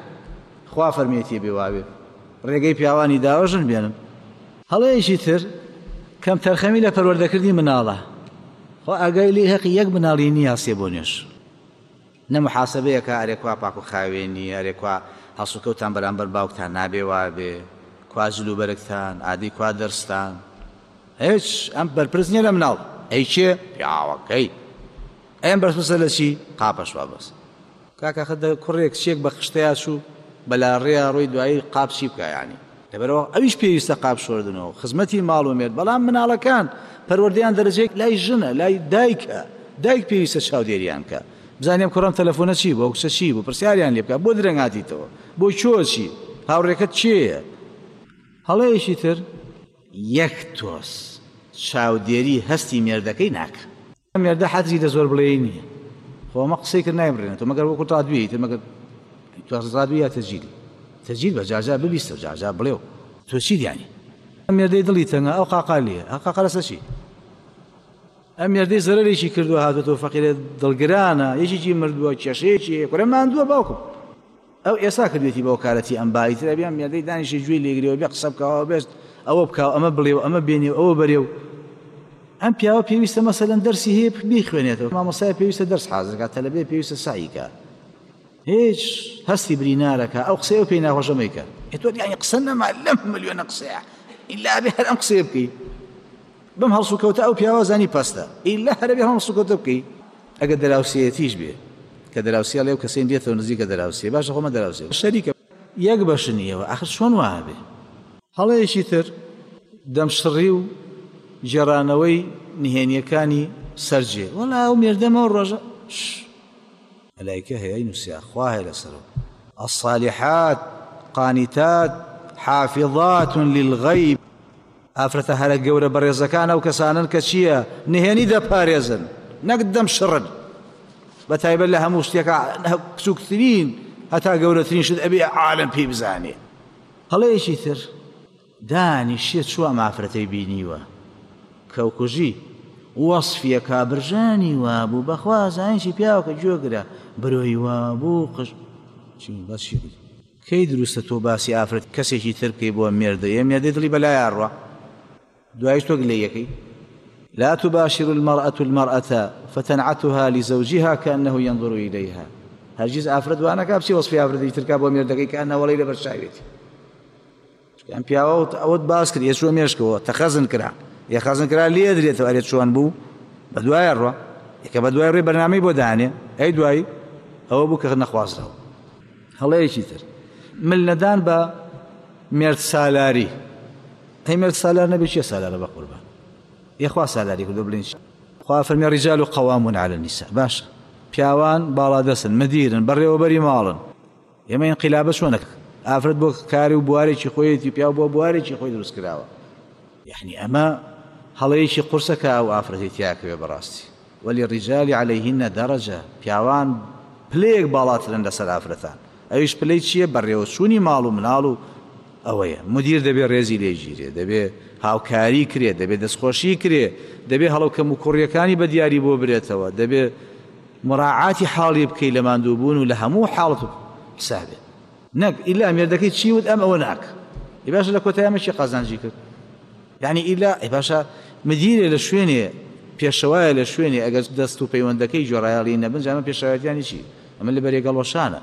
خوا فەرمێتیە بێ وابێ ڕێگەی پیاوانی داوە ژن بێنن هەڵەیەکی تر کەم تەرخەمی لە پەروەردەکردنی مناڵە خۆ ئاگای لێ هەقی یەک مناڵی نییە سێ بۆ نوێژ نە محاسبەیەکە ئەرێ کوا پاک و خاوێنی ئەرێ کوا هەڵسوکەوتان بەرامبەر باوکتان نابێ وابێ کوا جل و بەرگتان ئادەی کوا دەرستان هیچ ئەم بەرپرس نییە لە مناڵ ئەی کێ پیاوەکەی ئەم بەرپرسە لە چی قاپەش وا بەس کاکە خە کوڕێک کچێک بە خشتەیا چوو بەلاڕێیا ڕۆی دوایی قاپ چی بکە یانی. لەبەرئەوە ئەویش پێویستە قاپ شۆردنەوە خزمەتی ماڵ و مێرد، بەڵام مناڵەکان پەروەردەیان دەرەجەیەک لای ژنە، لای دایکە، دایک پێویستە چاودێریان بکا، بزانێ ئەم کوڕەم تەلەفۆنە چی بوو، ئەو کچە چی بوو، پرسیاریان لێ بکا، بۆ درەنگ هاتیتەوە، بۆ کوێ چی، هاوڕێکەت کێیە؟ هەڵەیەکی تر، یەک تۆز چاودێری هەستی مێردەکەی ناکا. ئەم مێردە حەزی لە زۆر بڵێی نییە خۆ ئەمە قسەی کرد نایبڕێنێتەوە مەگەر وەکو ڕادوێ ئیتر مەگەر تۆ ڕادوێ یا تەجیلی تەجیل بە جارجار ببیستە و جارجار بڵێ و تۆ چی دیانی ئەم مێردەی دڵی تەنگە ئەو قاقا لێ ئەو قاقا لەسەر چی ئەم مێردەی زەرەرێکی کردووە هاتووەتەوە فەقیرە دڵگرانە یەکێکی مردووە کێشەیەکی هەیە کورە ماندووە باوکم ئەو ئێستا کردوێتی بە وەکالەتی ئەم با ئیتر ئەبێ ئەم مێردەی دانیشێ گوێی لێگرێ و بێ قسە بکا و بێ ئەوە بکا و ئەمە بڵێ و ئەمە بێنێ و ئەوە بەرێ و ئەم پیاوە پێویستە مەسەلەن دەرسی هەیە بیخوێنێتەوە مامۆستای پێویستە دەرس حازر کا تەلەبەیە پێویستە سەعی کا هیچ هەستی برینارەکە ئەو قسەیە پێی ناخۆشە مەیکە ئێ تۆ یانی قسە نەما لەم ملیۆنە قسەیە ئیلا ئەبێ هەر ئەم قسەیە بکەی بەم هەڵسوکەوتە ئەو پیاوە زانی پەستە ئیلا هەر ئەبێ هەڵسوکەوتە بکەی ئەگەر دراوسێیەتیش بێ کە دراوسێ ئەڵێ ئەو کەسەی دێتەوە نزیکە دراوسێ باشە خۆ مە دراوسێ شەریکە یەک بەشن ئێوە ئاخر چۆن وا ئەبێ. هەڵەیەکی تر دەمشڕی و گێڕانەوەی نهێنیەکانی سەر جێ وەڵا ئەو مێردەم ئەو ڕۆژە ش مەلایکە هەیە نووسیا خوا هەیە لەسەرەوە الصالحات قانتات حافظات للغیب ئافرەتە هەرە گەورە بەڕێزەکان ئەو کەسانەن کە چییە نهێنی دەپارێزن نەک دەم شڕن بە تایبەت لە هەموو شتێکە بچووکترین هەتا گەورەترین شت ئەبێ عالم پێی بزانێ هەڵەیەکی تر دانیشێ چووە ئەم ئافرەتەی بینیوە کەوکوژی وەصفیەکە برژانی وابوو بەخوا زانیشی پیاوەکە گوێگرە برۆی وابوو قژ چی بەس چی کەی دروستە تۆ باسی ئافرەت کەسێکی تر بکەی بۆ مێردە یە مێردەی دڵی بەلایا ڕوا دوایش تۆ گلەیەکەی لا تباشر المرأة المرأة فتنعتها لزوجها كأنه ينظر إليها هەرگیز ئافرەت وانەکا بچی وەصفی ئافرەتی ترکا بۆ مێردەکەی کە ئەنەوەڵی لەبەر چاوێتی ئەم پیاوە ئەوەت باس کرد یەچوە مێشکەوە تەخەزن کرا یە خەزن کرا لێ درێتەوە ئەرێ چۆن بوو بە دوایە ڕوە یەکە بە دوای ڕێ بەرنامەی بۆ دانێ ئەی دوایی ئەوە بوو کە نەخوازراوە هەڵەیەکی تر مل نەدان بە مێرد سالاری ئەی مێرد سالار نەبێ چیە سالارە بە قوربان یەخوا سالاری کردو بلین خوا فەرمی رجال قوامون على النساء باشە پیاوان باڵادەستن مدیرن بەڕێوەبەری ماڵن ئێمە ئینقیلابە چۆنە ئافرەت بۆ کاری و بوارێکی خۆیەتی پیاو بۆ بوارێکی خۆی دروست کراوە یعنی ئەمە هەڵەیەکی قورسە کە ئەو ئافرەتی تیاکەوێ بەڕاستی وللرجال علیهن درجە پیاوان پلەیەک باڵاترن لەسەر ئافرەتان ئەویش پلەی چییە بەڕێوەچوونی ماڵ و مناڵ و ئەوەیە مدیر دەبێ ڕێزی لێگیرێ دەبێ هاوکاری کرێ دەبێ دەستخۆشی کرێ دەبێ هەڵو کەم و کوڕیەکانی بە دیاری بۆ برێتەوە دەبێ مراعاتی حاڵی بکەی لە ماندووبوون و لە هەموو حاڵەت و حسابێ نەک ئیلا مێردەکەی چی وت ئەم ئەوە ناک ئی باشە لە کۆتایی ئەمە چی قازانجی کرد یعنی ئیلا ئی باشە مدیرێ لە شوێنێ پێشەوایە لە شوێنێ ئەگەر دەست و پەیوەندەکەی گوێڕایەڵی نەبن جا ئەمە پێشەوایەتیانی چی ئەمە لە بەرێگەڵوەشانە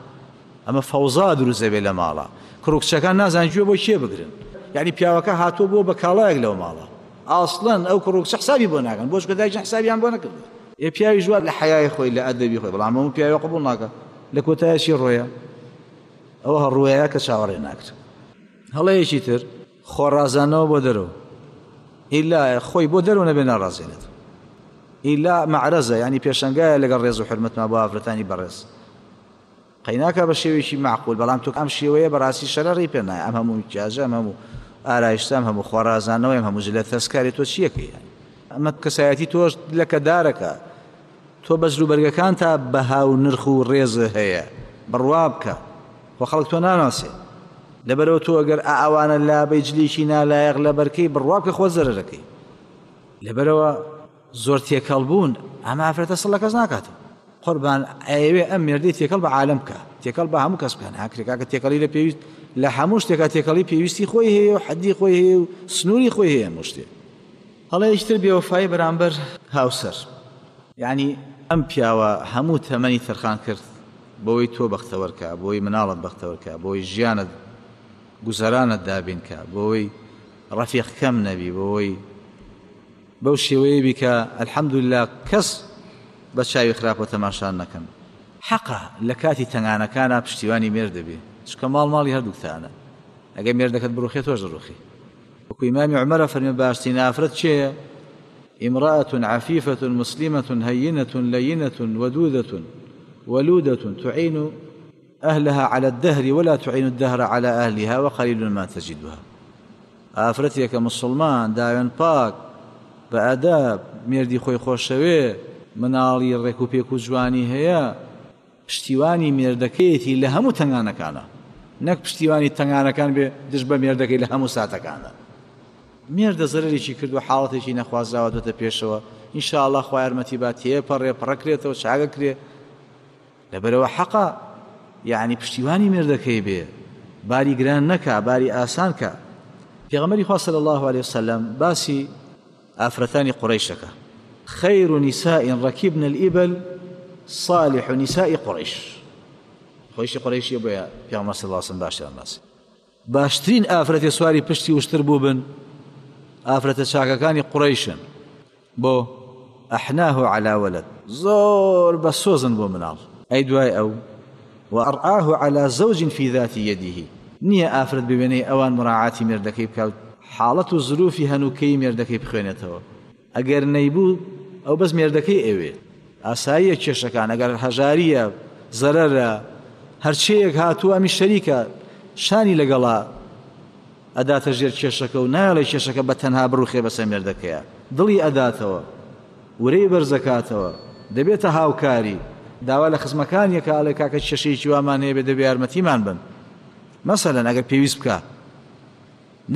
ئەمە فەوزا دروست دەبێت لە ماڵە کوڕ و کچەکان نازان گوێ بۆ کێ بگرن یعنی پیاوەکە هاتووە بووە بە کاڵایەک لەو ماڵە ئاسڵەن ئەو کوڕ و کچە حسابی بۆ ناکەن بۆ چونکە دایکیان حسابیان بۆ نەکردووە ئێ پیاویش وا لە حەیای خۆی لە ئەدەبی خۆی بەڵام هەموو پیاوێ قبوڵ ناکا لە کۆتایە چی ڕۆیە ئەوە هەڕوەیە کە چاوەڕێ ناکرێت هەڵەیەکی تر خۆڕازانەوە بۆ دەرەوە ئیلا خۆی بۆ دەرەوە نەبێ ناڕازێنێت ئیلا مەعرەزە ینی پێشەنگایە لەگەڵ ڕێز و حرمەتما بۆ ئافرەتانی بەڕێز قەیناکا بە شێوەیەکی مەعقول بەڵام تۆ ئەم شێوەیە بەڕاستی شەرەڕی پێ نایە ئەم هەموو میکیاجە ئەم هەموو ئارایشتە ئەم هەموو خۆڕازانەوەی ئەم هەموو جلە تەسکاری تۆ چیەکەی یانی ئەمە کەسایەتی تۆش لەکەدارەکە تۆ بە جلوبەرگەکان تا بەها و نرخ و ڕێز هەیە بڕوا بکە خۆ خەڵک تۆ ناناسێ لەبەرەوە تۆ ئەگەر ئەوانە لابەی جلێکی نالایەق لەبەرکەی بڕوا بکە خۆ زەرەرەکەی لەبەرەوە زۆر تێکەڵ بوون ئەمە ئافرەتە سڵ لە کەس ناکاتەوە قوربان ئەیەوێ ئەم مێردەی تێکەڵ بە عالەم بکا تێکەڵ بە هەموو کەس بکە ناکرێ کاکە تێکەڵی لە پێویست لە هەموو شتێکا تێکەڵی پێویستی خۆی هەیە و حەدی خۆی هەیە و سنووری خۆی هەیە هەموو شتێ هەڵەیەکی تر بێوەفایی بەرامبەر هاوسەر یعنی ئەم پیاوە هەموو تەمەنی تەرخان کرد بۆی تۆ بەختەوەرکە بۆی مناڵت بەختەوەرکە بۆی ژیانت گوزەرانت دابینکە بۆی ڕەفیق کەم نەبی بۆی بەو شێوەیە بی کە الحمدللە کەس بە چاوی خراپەوە تەماشا نەکەن. حەقە لە کاتی تەنگانەکانا پشتیوانی مێردە بی چونکە ماڵ ماڵی هەردووکتانە. ئەگەر مێردەکەت بڕوخێ تۆش دەڕوخی. وەکو ئیمامی عومەرە فەرمی باشترین ئافرەت کێیە؟ امرأة عفيفة مسلمة هينة لينة ودودة ولودة تعين أهلها على الدهر ولا تعين الدهر على أهلها وقليل ما تجدها. ئافرەتێکە مسلمان داوێن پاک بە ئەداب مێردی خۆی خۆشەوێ مناڵی ڕێک و پێک و جوانی هەیە پشتیوانی مێردەکەیەتی لە هەموو تەنگانەکانە نەک پشتیوانی تەنگانەکان بێ دژ بە مێردەکەی لە هەموو ساتەکانە. مێردە زەرەرێکی کردووە حاڵەتێکی نەخوازراوە دۆتە پێشەوە ان شاء الله خوا یارمەتی با تێپەڕێ پڕەکرێتەوە چاگەکرێ لەبەرەوە حەقە یعنی پشتیوانی مێردەکەی بێ باری گران نەکا باری ئاسان کە. پێغەمبەری خوا صلی الله علیه وسلم باسی ئافرەتانی قوڕەیشەکە خیر نساء رکبن الإبل صالح نساء قریش خۆیشی قوڕەیشیە بۆیە پێغەمبەر صلی الله علیه وسلم باشیان باسی باشترین ئافرەتی سواری پشتی وشتر بووبن ئافرەتە چاکەکانی قوڕەیشن بۆ ئەحناه علی ولد زۆر بە سۆزن بۆ مناڵ ئەی دوای ئەو وأرعاه علی زوج فی ذات یده نییە ئافرەت بوێنەی ئەوان مراعاتی مێردەکەی بکات حاڵەت و زروفی هەنووکەی مێردەکەی بخوێنێتەوە ئەگەر نەیبوو ئەو بەس مێردەکەی ئەوێ ئاساییە کێشەکان ئەگەر هەژاریە زەرەرە هەرچەیەک هاتووە ئەمی شەریکە شانی لەگەڵا ئەداتە ژێر کێشەکە و نایەڵێ کێشەکە بە تەنها بڕوخێ بەسەر مێردەکەیا دڵی ئەداتەوە ورەی بەرزەکاتەوە دەبێتە هاوکاری داوا لە خزمەکانیە کە ئەڵێ کاکە کێشەیەکی وامان هەیە بێ دەبێ یارمەتیمان بن مەسەلەن ئەگەر پێویست بکا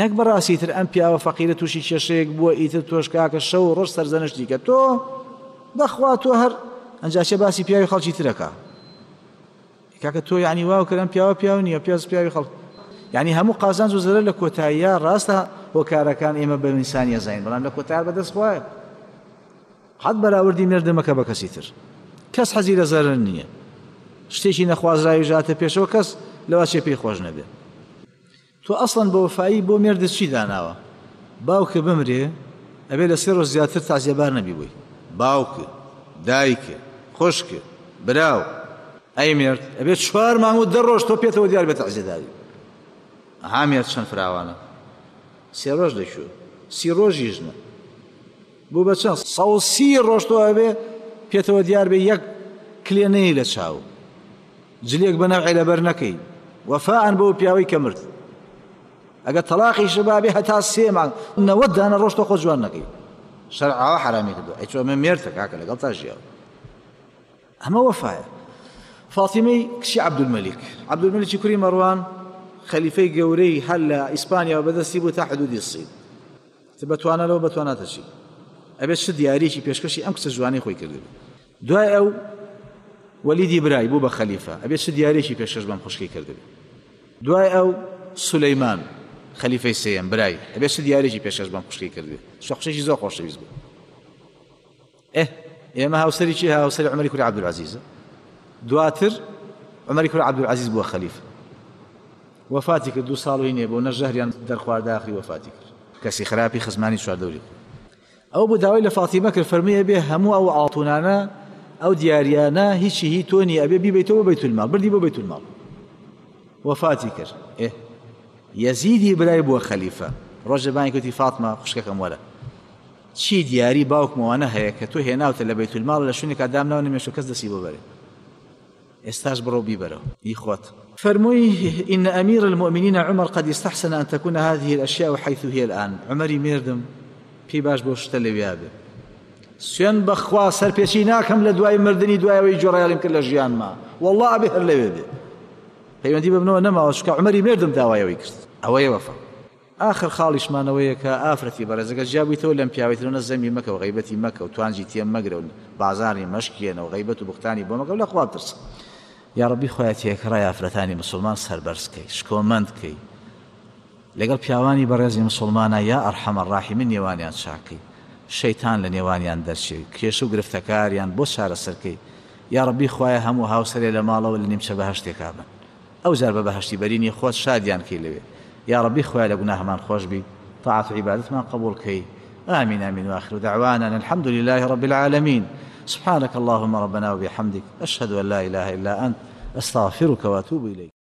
نەک بەڕاستی تر ئەم پیاوە فەقیرە تووشی کێشەیەک بووە ئیتر تۆش کاکە شەو و ڕۆژ سەرزەنشتی کە تۆ بەخوا تۆ هەر ئەنجا چێ باسی پیاوی خەڵکی ترەکە کاکە تۆ یعنی واو کردم پیاوە پیاو نییە پیاز پیاوی خەڵک یعنی هەموو قازانج و زەرەر لە کۆتاییە ڕاستە هۆکارەکان ئێمە بە ئینسانیە زانین بەڵام لە کۆتایە بەدەست خوایە قەت بەراوردی مێردە مەکە بە کەسی تر کەس حەزی لە زەرەر نییە شتێکی نەخوازراوی ژاتە پێشەوە کەس لەوا چێ پێی خۆش نەبێ تۆ ئەسڵەن بە وەفایی بۆ مێردت چی داناوە؟ باوکت بمرێ ئەبێ لە سێ ڕۆژ زیاتر تەعزیەبار نەبی بۆی. باوکت، دایکت، خوشکت، براو. ئەی مێرد ئەبێ چوار مانگ و دە ڕۆژ تۆ پێتەوە دیار بێ تەعزیەداری. ئەها مێرد چەند فراوانە. سێ ڕۆژ لە کوێ؟ سی ڕۆژیش نا. بوو بە چەند؟ 130 ڕۆژ تۆ ئەبێ پێتەوە دیار بێ یەک کلێ نەیەی لە چاو. جلێک بە نەوعێ لەبەر نەکەی وەفاءەن بەو پیاوەی کە مرد ئەگەر تەلاقیش بابێ هەتا سێ مانگ 90 دانە ڕۆژ تۆ خۆ جوان نەکەی شەرع ئاوا حەرامی کردووە ئەی چۆ ئەمە مێردتە کاکە لەگەڵ تا ژیاوە ئەمە وەفایە فاتیمەی کچی عەبدولمەلیک عەبدولمەلیکی کوری مەڕوان خەلیفەی گەورەی هەر لە ئیسپانیاوە بەدەستی بوو تا حدودی سین تە بەتوانە لەوە بەتواناتە چی ئەبێت چ دیاریەکی پێشکەشی ئەم کچە جوانەی خۆی کردبێ دوای ئەو وەلیدی برای بوو بە خەلیفە ئەبێ چ دیارێکی پێشکەش بەم خوشکەی کردبێ دوای ئەو سولەیمان خەلیفەی سێیەم برای ئەبێ چ دیارێکی پێشکەش بەم خوشکەی کردبێ چ خوشێکی زۆر خۆشەویست بوو ئێ ئێمە هاوسەری چی هاوسەری عومەری کوری عەبدولعەزیزە دواتر عومەری کوری عەبدولعەزیز بووە خەلیفە وەفاتی کرد دوو ساڵ و هینێ بۆ نە ژەهریان دەرخوارد ئاخری وەفاتی کرد کەسی خراپی خزمانی چواردەوری خۆی ئەو بوو داوای لە فاتیمە کرد فەرمووی ئەبێ هەموو ئەو ئاڵتونانە ئەو دیاریانە هیچی هی تۆ نییە ئەبێ بیبەیتەوە بۆ بەیتولماڵ بردی بۆ بەیتولماڵ وەفاتی کرد ئێ یەزیدی برای بووە خەلیفە ڕۆژێ بانگی کوتی فاتمە خوشکەکەم وەرە چی دیاری باوکمەوانە هەیە کە تۆ هێناوتە لە بەیتولماڵ لە شوێنێکا دامناوە نەمێشتوە کەس دەستی بۆ بەرێ ئێستاش بڕۆ بیبەرەوە هی خۆت. فەرمووی، ان امیر المومنین عمر قد استحسن ان تکون هذه الاشیاء حیث هی الان، عومەری مێردم پێی باش بووە شتە لەویا بێ. سوێند بەخوا سەرپێچی ناکەم لە دوای مردنی دوای ئەوەی گوێڕایەڵیم کرد لە ژیانما، وەڵڵا ئەبێ هەر لەوێ بێ. پەیوەندی بە منەوە نەماوە چونکە عومەری مێردم داوای ئەوەی کرد. ئەوەیە وەفا. ئاخر خاڵیشمان ئەوەیە کە ئافرەتی بەڕێز ئەگەر جیا بوویتەوە لەم پیاوەی ترەوە نە زەمی مەکە و غەیبەتی مەکە و توانجی تێ مەگرە و بازاڕی مەشکێنە و غەیبەت و بوختانی بۆ مەکە و لە خوا بترسە. یاڕەبی خوایە تێکڕای ئافرەتانی مسوڵمان سەربەرز کەی شکۆمەند کەی لەگەڵ پیاوانی بەڕێزی مسوڵمانا یا ارحم الراحمین نێوانیان چاک کەی شەیتان لە نێوانیان دەرچێ کێشە و گرفتەکاریان بۆ چارەسەر کەی یاڕەبی خوایە هەموو هاوسەرێ لە ماڵەوە لە نیمچە بەهەشتێکا بن ئەوجار بە بەهەشتی بەرینی خۆت شادیان کەی لەوێ یاڕەبی خوایە لە گوناهمان خۆش بی تاعەت و عیبادەتمان قبوڵ کەی آمین آمین وآخر دعوانا ان الحمد لله رب العالمین سبحانك اللهم ربنا وبحمدك أشهد أن لا إله إلا أنت أستغفرك وأتوب إليك.